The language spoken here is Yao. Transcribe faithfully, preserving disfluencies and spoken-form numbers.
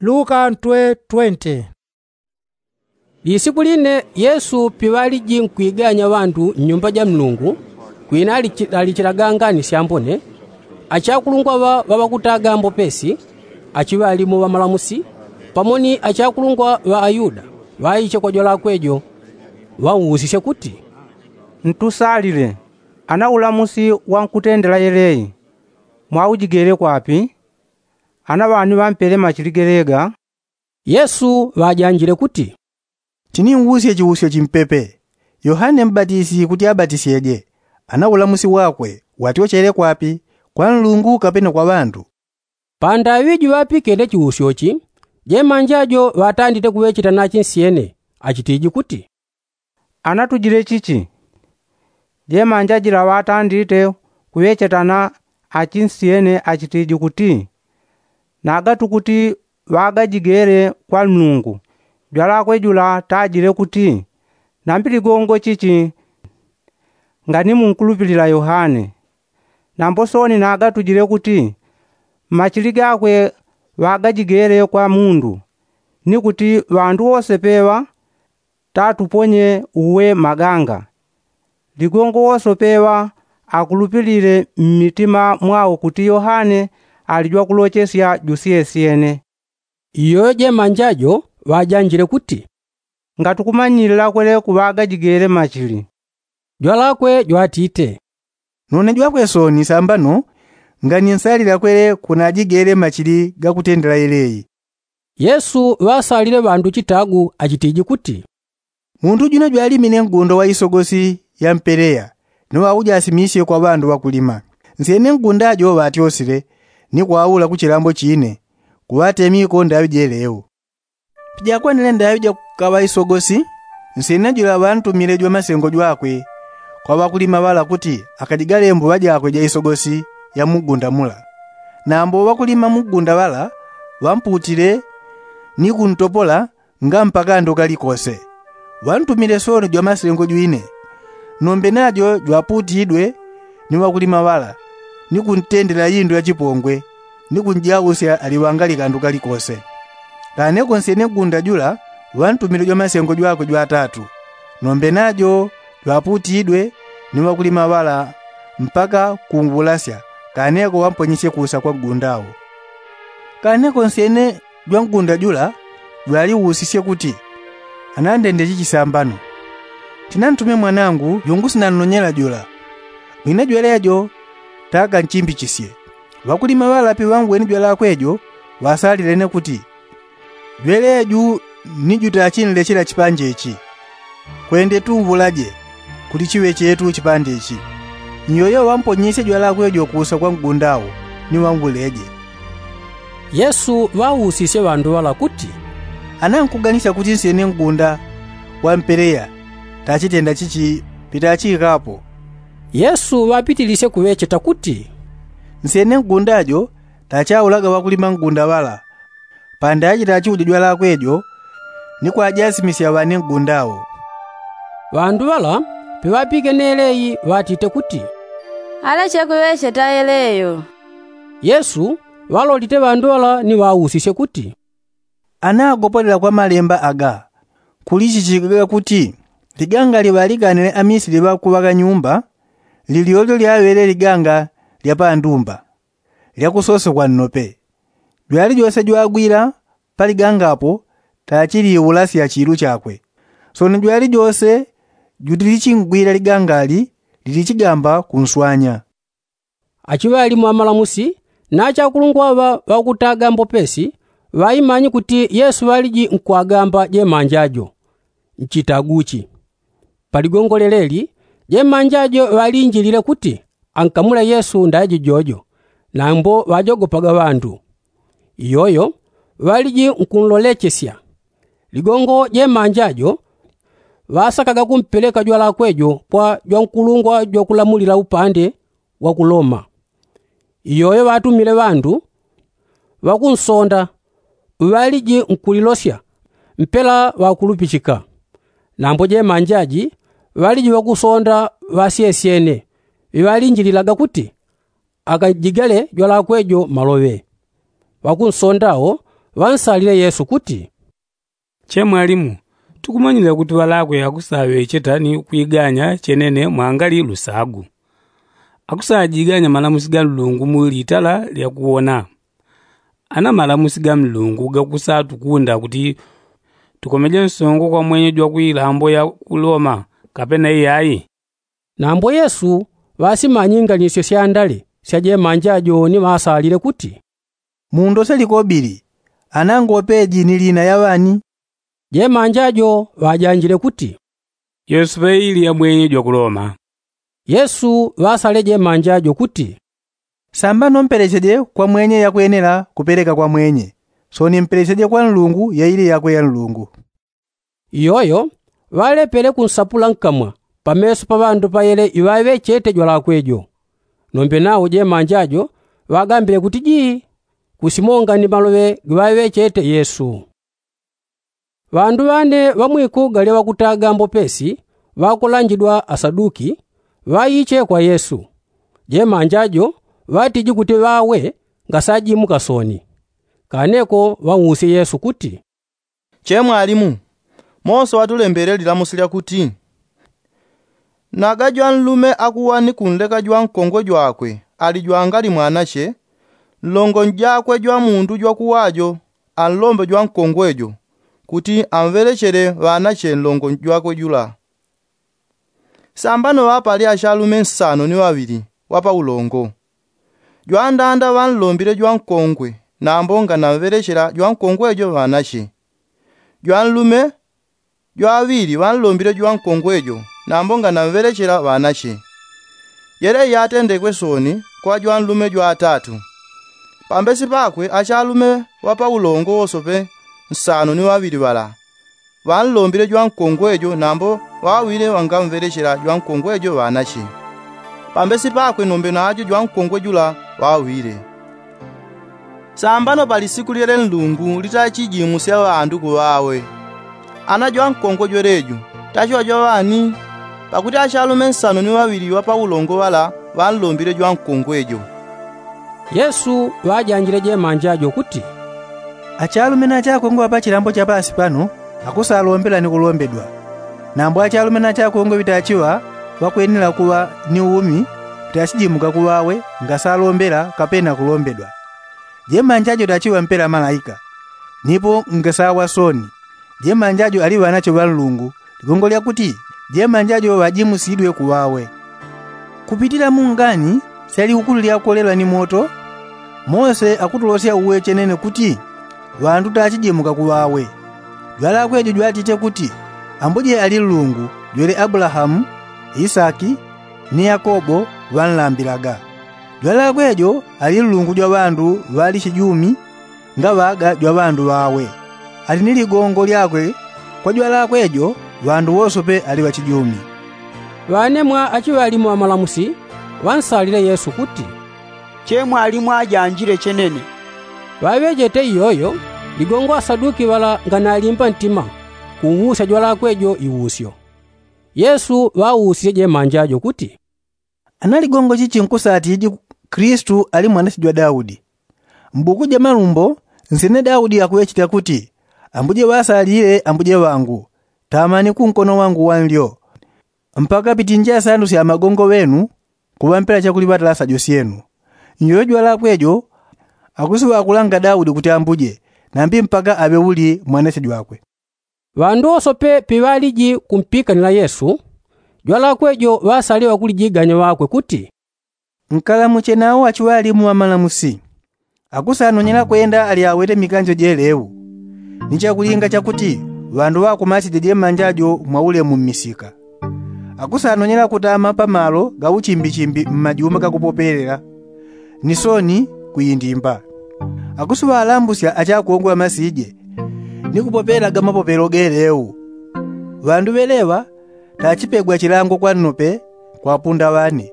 Luka ntwe twenti. Lisiku line yesu piŵaliji nkwiganya ŵandu mnyumba ja mlungu, kwina alichi- alichilaganga ni syambone, achakulungwa ŵa- ŵaŵakutaga mbopesi, achiŵalimo ŵamalamusi, pamo ni achakulungwa ŵa ayuda, ŵaiche kwa jwalakwe jo, ŵausisye kuti, ntusalile, ana ulamusi wa nkutendela yeleyi mwaujigele kwapi? Ana ŵani ŵampele machili gelega? Yesu ŵajanjile kuti, tiniusye chiusyo chimpepe. Yohane mbatisi kuti abatisyeje, ana ulamusi wakwe watyochele kwapi? Kwa nlungu kapena kwa ŵandu? Pandaŵi juŵapikene chiusyo chi, jemanja jo ŵatandite kuŵecheta na chinsyene, achitiji kuti, anatujile chichi? Jemanja jila ŵatandite kuŵecheta na achinsyene achitiji kuti, nagatu kuti ŵagajigele kwa nlungu, jwalakwe jula tajile kuti, nambi ligongo chichi? Ngani munkulupilila yohane? Nambo sooni nagatujile kuti, mmachili gakwe ŵagajigele kwa mundu, ni kuti ŵandu wose peŵa tatuponye uwe maganga. Ligongo wose peŵa akulupilile mmitima mwao kuti yohane ali jwakulochesya jusyesyene. Iyoyo jemanja jo ŵajanjile kuti, ngatukumanyilila kwele kuŵagajigele machili. Jwalakwe jwatite, nune jwakwe sooni sambano, ngani nsalila kwele kunajigele machili gakutendela yeleyi. Yesu ŵasalile ŵandu chitagu achitiji kuti, mundu jwina jwalimine ngunda wa isogosi ya mpeleya, ni ŵaujasimisye kwa ŵandu ŵakulima. Nsyene ngunda jo ŵatyosile, ni kwaula ku chilambo chine, kuŵatemiko ndaŵi jeleu. Pijakwanile ndaŵi jakukaŵa isogosi, nsyene jula ŵantumile jwamasengo jwakwe kwa ŵakulima ŵala kuti akajigale mbuŵa jakwe ja isogosi ya mugunda mula. Nambo ŵakulima mugunda ŵala ŵamputile, ni kuntopola nga mpakando kalikose. Ŵantumile sooni jwamasengo jwine, nombe najo jwaputidwe ni ŵakulima ŵala, ni kuntendela indu ya chipongwe, ni kunjausya aliŵangali kandu kalikose. Kaneko nsyene ngunda jula ŵantumile jwamasengo jwakwe jwatatu, nombe najo jwaputidwe ni ŵakulima ŵala, mpaka kungulasya. Kaneko ŵamponyesye kuusa kwa ngunda wo. Kaneko nsyene jwangunda jula jwaliusisye kuti, anandende chichi sambano? Tinantume mwanangu jungusinannonyela jula, mwine jwelejo takanchimbichisye. Ŵakulima ŵala piŵangwene jwalakwe jo, ŵasalilene kuti, jweleju ni jutachinlechela chipanje ichi. Kwende tunvulaje, kuti chiŵe chetu chipande ichi. Nyoyo ŵamponyesye jwalakwe jo kuusa kwa ngunda wo, ni ŵanguleje. Yesu ŵausisye ŵandu ŵala kuti, anankuganisya kuti nsyene ngunda wa mpeleya tachitenda chichi pitachikapo? Yesu ŵapitilisye kuŵecheta kuti, nsyene ngunda jo tachaulaga ŵakulima ngunda ŵala, pandachi tachiuja jwalakwe jo, ni kwajasimisya ŵane ngunda wo. Ŵandu ŵala piŵapikene yeleyi ŵatite kuti, aleche kuŵecheta yeleyo. Yesu ŵalolite ŵandu ŵala ni ŵausisye kuti, anagopolela kwa malemba aga kulichichikaga kuti, liganga liŵaliganile amisili ŵakuŵaga nyumba, lilyolyo lyaŵele liganga lya pandumba, lyakusosokwa nnope. Jwali jose jwagwila pa liganga apo tachiliulasya chilu chakwe. Sono jwali jose julichingwila ligangali lilichigamba kunswanya. Achiŵalimo amalamusi na achakulungwa ŵa ŵakutaga mbopesi, ŵaimanye kuti yesu ŵaliji nkwagamba jemanja jo. Nchitaguchi pa ligongo lyeleli, jemanja jo ŵalinjilile kuti ankamule yesu ndaiji jojo, nambo ŵajogopaga ŵandu. Iyoyo ŵaliji nkunlolechesya. Ligongo jemanja jo ŵasakaga kumpeleka jwalakwe jo kwa jwankulungwa jwakulamulila upande wa ku loma. Iyoyo ŵatumile ŵandu ŵakunsonda ŵaliji nkulilosya mpela ŵakulupichika. Nambo jemanjaji ŵaliji ŵakusonda ŵasyesyene ŵiŵalinjililaga kuti akajigale jwalakwe jo maloŵe. Ŵakunsonda wo Ŵansalile yesu kuti, che mwalimu, tukumanyile kuti ŵalakwe akusaŵecheta ni kwiganya chenene mwangali lusagu. Akusajiganya malamusi ga nlungu mu litala lya kuwona. Ana malamusi ga nlungu gakusatukunda kuti tukomeje nsongo kwa mwenye jwa kwilambo ya ku loma, kapena iyai? Nambo yesu ŵasimanyinganisye syandale sya jemanja jo ni ŵasalile kuti, mundose likobili, ana ngopeji ni lina ya ŵani? Jemanja jo ŵajanjile kuti, yosepe ili ya mwenye jwa ku loma. Yesu ŵasale jemanja jo kuti, sambano mpelecheje kwa mwenye yakwenela kupeleka kwa mwenye, soni mpelecheje kwa nlungu ya ili yakwe ya nlungu. Iyoyo ŵalepele kunsapula nkamwa pameso pa ŵandu payele iŵaŵechete jwalakwe jo. Nombe nawo jemanja jo ŵagambile kuti jii, kusimongani maloŵe giŵaŵechete yesu. Ŵandu ŵane ŵa mwikuga lya ŵakutaga mbopesi ŵakulanjidwa asaduki, ŵaiche kwa yesu. Jemanja jo ŵatiji kuti ŵawe ngasajimuka soni. Kaneko ŵausye yesu kuti, che mwalimu, mose ŵatulembele lilamusi lya kuti, naga jwanlume akuwa ni kunleka jwankongwe jwakwe ali jwangali mwanache, nlongo njakwe jwamundu jwakuwa jo anlombe jwankongwe jo kuti amŵelechele ŵanache nlongo jwakwe jula. Sambano ŵapali achalume nsano ni ŵaŵili ŵa paulongo. Jwandanda ŵanlombile jwankongwe nambo nganamŵelechela jwankongwe jo ŵanache. Jwanlume jwaŵili ŵanlombile jwankongwe jo nambo nganamŵelechela ŵanache. Jele iyatendekwe soni kwa jwanlume jwatatu. Pambesi pakwe achalume ŵa paulongo wosope nsano ni ŵaŵili ŵala ŵanlombile jwankongwe jo nambo ŵawile ŵangamŵelechela jwankongwe jo ŵanache. Pambesi pakwe nombe najo jwankongwe jula ŵawile. Sambano pa lisiku lyele nlungu litachijimusya ŵandu kuŵawe, ana jwankongwe jwelejo tachiŵa jwaŵani? Pakuti achalume nsano ni ŵaŵili ŵa paulongo ŵala ŵanlombile jwankongwe jo. Yesu ŵajanjile jemanja jo kuti, achalume na achakongwe ŵa pachilambo cha pasi pano akusalombela ni kulombedwa. Nambo achalume na achakongwe ŵitachiŵa ŵakwenela kuŵa ni umi ŵitachijimuka kuŵawe ngasalombela kapena kulombedwa. Jemanja jo tachiŵa mpela malaika, nipo ngasawa soni. Jemanja jo ali ŵanache ŵa nlungu, ligongo lya kuti jemanja jo ŵajimusidwe kuŵawe. Kupitila mungani sya likukulu lyakolelwa ni moto, mose akutulosya uwe chenene kuti ŵandu tachijimuka kuŵawe. Jwalakwe jo jwatiche kuti, ambuje ali nlungu jwele abulahamu, isaki, ni yakobo ŵanlambilaga. Jwalakwe jo ali nlungu jwa ŵandu ŵali chijumi, ngaŵaga jwa ŵandu ŵawe. Ali ni ligongo lyakwe kwa jwalakwe jo ŵandu wosope ali ŵachijumi. Ŵanemwa achiŵalimu ŵamalamusi ŵansalile yesu kuti, che mwalimu ajanjile chenene. Ŵaŵechete iyoyo, ligongo asaduki ŵala nganalimba ntima kuusya jwalakwe jo iusyo. Yesu ŵausisye jemanja jo kuti, ana ligongo chichi nkusatiji kristu ali mwanache jwa daudi? Mbuku ja malumbo nsyene daudi akuŵecheta kuti, ambuje ŵasalile ambuje ŵangu, tamani kunkono wangu wanlyo, mpaka pitinje asandu sya magongo ŵenu kuŵampela chakuliŵatala sajo syenu. Nyoyo jwalakwe jo akusiŵakulanga daudi kuti ambuje, nambi mpaka aŵe uli mwanache jwakwe. Ŵandu wosope piŵaliji kumpikanila yesu, jwalakwe jo ŵasaliwa kulijiganya ŵakwe kuti, nkalamuche nawo achiŵalimu ŵamalamusi. Akusanonyela kwenda ali awete mikanjo jelewu, ni chakulinga chakuti ŵandu ŵakumasije jemanja jo mwaulemu mmisika. Akusanonyela kutama pamalo ga uchimbichimbi mmajumba gakupopelela, ni soni kuindimba. Akusiŵalambusya achakongwe ŵamasije ni kupopelaga mapopelo gelewu. Ŵandu ŵeleŵa tachipegwa chilango kwa nnope kwa apunda ŵane.